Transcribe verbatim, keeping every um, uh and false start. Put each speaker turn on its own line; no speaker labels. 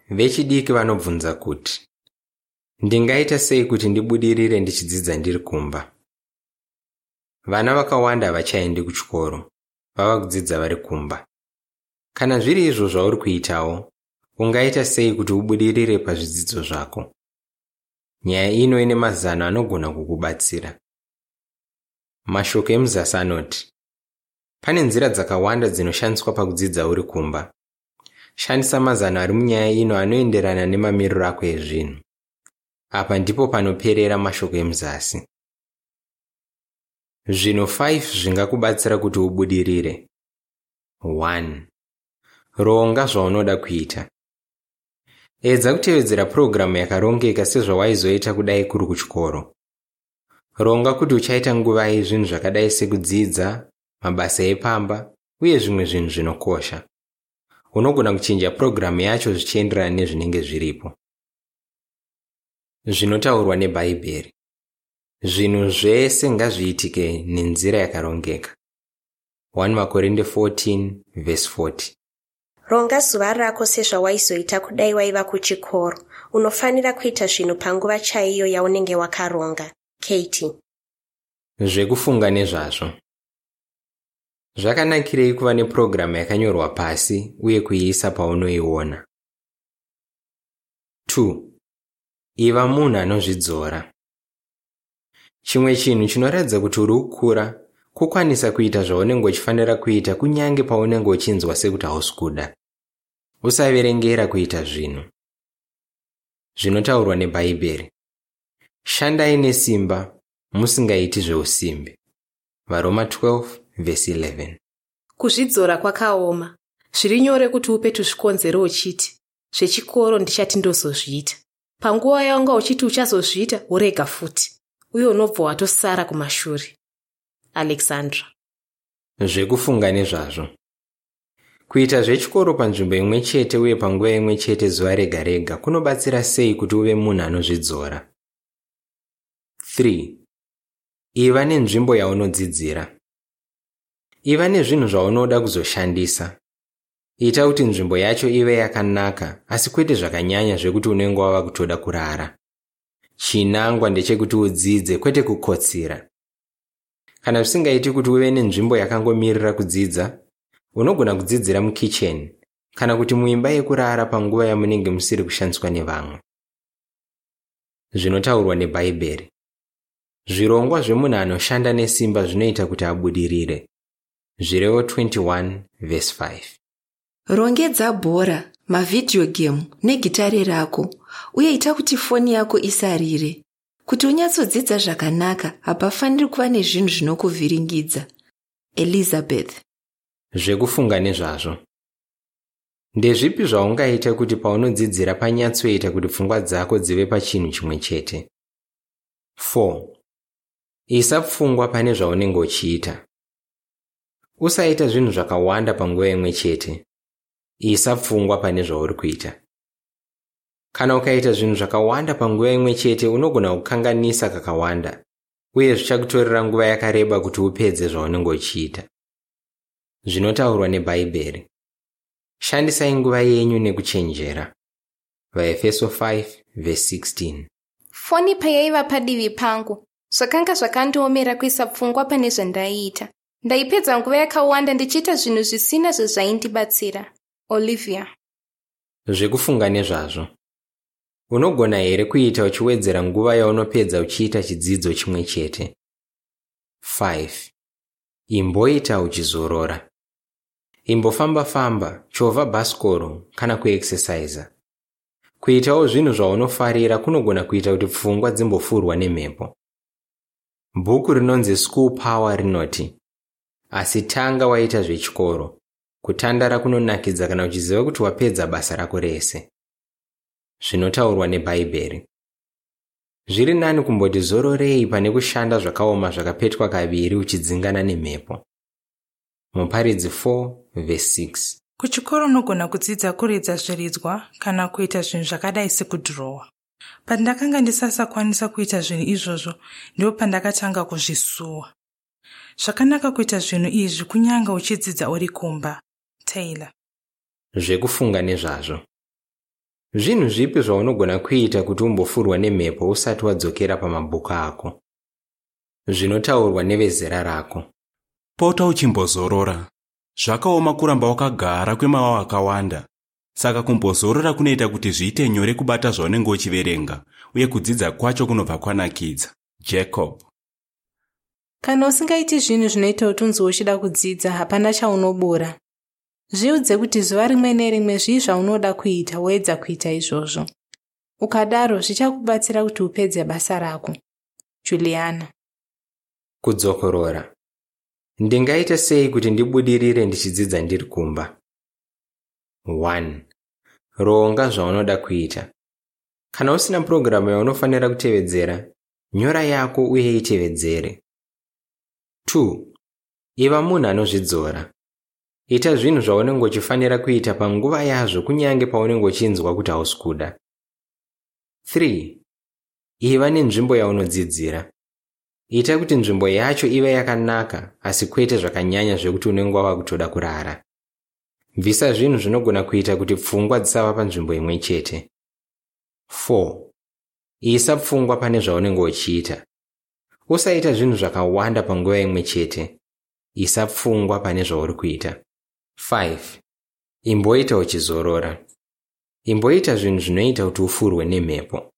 Vechidiki Vanobvunza Kuti Ndingaita Sei Kuti Ndibudirire Ndichidzidza Ndiri Kumba? Vana vakawanda havachaendi kuchikoro, vava kudzidza vari kumba. Kana zviri izvo zvauri kuitawo, ungaita sei kuti ubudirire pazvidzidzo zvako? Nyaya ino ine mazano anogona kukubatsira. Mashoko emuzasi anoti: Pane nzira dzakawanda dzinoshandiswa pakudzidza uri kumba. Shandisa mazano ari munyaya ino anoenderana nemamiriro ako ezvinhu. Apa ndipo panoperera mashoko emuzasi. Zvinhu five zvingakubatsira kuti ubudirire. one. Ronga zvaunoda kuita. Edza kutevedzera purogiramu yakarongeka sezvawaizoita kudai kuri kuchikoro. Ronga kuti uchaita nguvai zvinhu zvakadai sekudzidza, mabasa epamba uye zvimwe zvinhu zvinokosha. Unogona kuchinja purogiramu yacho zvichienderana nezvinenge zviripo. Zvinotaurwa neBhaibheri. Zvinhu zvese ngazviitike nenzira yakarongeka. one Makorinde fourteen verse forty.
Ronga zuva rako sezvawaizoita kudai waiva kuchikoro. Unofanira kuita zvinhu panguva chaiyo yaunenge wakaronga. Katie.
Zvekufunga nezvazvo. Zvakanakirei kuva nepurogiramu yakanyorwa pasi uye kuiisa paunoiona? two. Iva munhu anozvidzora. Chimwe chinhu chinoratidza kuti uri kukura kukwanisa kuita zvaunenge uchifanira kuita kunyange paunenge uchinzwa sekuti hausi kuda. Usaverengera kuita zvinhu. Zvinotaurwa neBhaibheri. Shandai nesimba, musingaiti zveusimbe. Varoma twelve verse eleven.
Kuzvidzora kwakaoma. Zviri nyore kuti upe tuzvikonzero uchiti zvechikoro ndichati ndozozviita. Panguva yaunga uchiti uchazozviita worega futi, uye unobva watosara kumashure. Alexandra.
Zvekufunga nezvazvo. Kuita zvechikoro panzvimbo imwe chete uye panguva imwe chete zuva rega rega kunobatsira sei kuti uve munhu anozvidzora? three. Iva nenzvimbo yaunodzidzira. Iva nezvinhu zvaunoda kuzoshandisa. Ita kuti nzvimbo yacho ive yakanaka asi kwete zvakanyanya zvekuti unenge wava kutoda kurara. Chinangwa ndechekuti udzidze kwete kukotsira. Kana zvisingaiti kuti uve nenzvimbo yakangomirira kudzidza, unogona kudzidzira mukicheni kana kuti muimba yekurara panguva yamunenge musiri kushandiswa nevamwe. Zvinotaurwa neBhaibheri. Zvirongwa zvemunhu anoshanda nesimba zvinoita kuti abudirire. Zvirevo twenty one verse five.
Rongedza bhora, mavhidhiyo gemu negitare rako uye ita kuti foni yako isarire. Kuti unyatsodzidza zvakanaka, hapafaniri kuva nezvinhu zvinokuvhiringidza. Elizabeth.
Zvekufunga nezvazvo. Ndezvipi zvaungaita kuti paunodzidzira panyatsoita kuti pfungwa dzako dzive pachinhu chimwe chete? four. Isa pfungwa pane zvaunenge uchiita. Usaita zvinhu zvakawanda panguva imwe chete. Isa pfungwa pane zvauri kuita. Kana ukaita zvinhu zvakawanda panguva imwe chete unogona kukanganisa kakawanda, uye zvichakutorera nguva yakareba kuti upedze zvaunenge uchiita. Zvinotaurwa neBhaibheri. Shandisai nguva yenyu nekuchenjera. VaEfeso five verse sixteen.
Foni payaiva padivi pangu, zvakanga zvakandiomera kuisa pfungwa pane zvandaiita. Ndaipedza nguva yakawanda ndichiita zvinhu zvisina zvezvaindibatsira. Olivia.
Zvekufunga nezvazvo. Unogona here kuita uchiwedzera nguva yaunopedza uchiita chidzidzo chimwe chete? five. Imboita uchizorora. Imbofamba-famba, chovha bhasikoro kana kuexesaiza. Kuitawo zvinhu zvaunofarira kunogona kuita kuti pfungwa dzimbofurwa nemhepo. Bhuku rinonzi School Power rinoti, asi tanga waita zvechikoro. Kutandara kunonakidza kana uchiziva kuti wapedza basa rako rese. Zvinotaurwa neBhaibheri. Zviri nani kumboti zororei pane kushanda zvakaoma zvakapetwa kaviri uchidzingana nemhepo. Muparidzi four verse six.
Kuchikoro unogona kudzidza kuridza zviridzwa kana kuita zvinhu zvakadai sekudhirowa. Pandakanga ndisasakwanisa kuita zvinhu izvozvo, ndipo pandakatanga kuzvisuwa. Zvakanaka kuita zvinhu izvi kunyange uchidzidza uri kumba. Taylor.
Zvekufunga nezvazvo. Zvinhu zvipi zvaunogona kuita kuti umbofurwa nemhepo usati wadzokera pamabhuku ako? Zvinotaurwa nevezera rako.
Pota uchimbozorora. Zvakaoma kuramba wakagara kwemaawa akawanda. Saka kumbozorora kunoita kuti zviite nyore kubata zvaunenge uchiverenga uye kudzidza kwacho kunobva kwanakidza. Jacob.
Kana usingaiti zvinhu zvinoita kuti unzwe uchida kudzidza, hapana chaunobura. Zviudze kuti zuva rimwe nerimwe zvii zvaunoda kuita woedza kuita izvozvo. Ukadaro zvichakubatsira kuti upedze basa rako. Juliana.
Kudzokorora. Ndingaita sei kuti ndibudirire ndichidzidza ndiri kumba? one. Ronga zvaunoda kuita. Kana usina purogiramu yaunofanira kutevedzera, nyora yako uye itevedzere. two. Iva munhu anozvidzora. Ita zvinhu zvaunenge uchifanira kuita panguva yazvo kunyange paunenge uchinzwa kuti hausi kuda. three. Iva nenzvimbo yaunodzidzira. Ita kuti nzvimbo yacho ive yakanaka asi kwete zvakanyanya zvekuti unenge wava kutoda kurara. Bvisa zvinhu zvinogona kuita kuti pfungwa dzisava panzvimbo imwe chete. four. Isa pfungwa pane zvaunenge uchiita. Usaita zvinhu zvakawanda panguva imwe chete. Isa pfungwa pane zvauri kuita. five. Imboita uchizorora. Imboita zvinhu zvinoita kuti ufurwe nemhepo.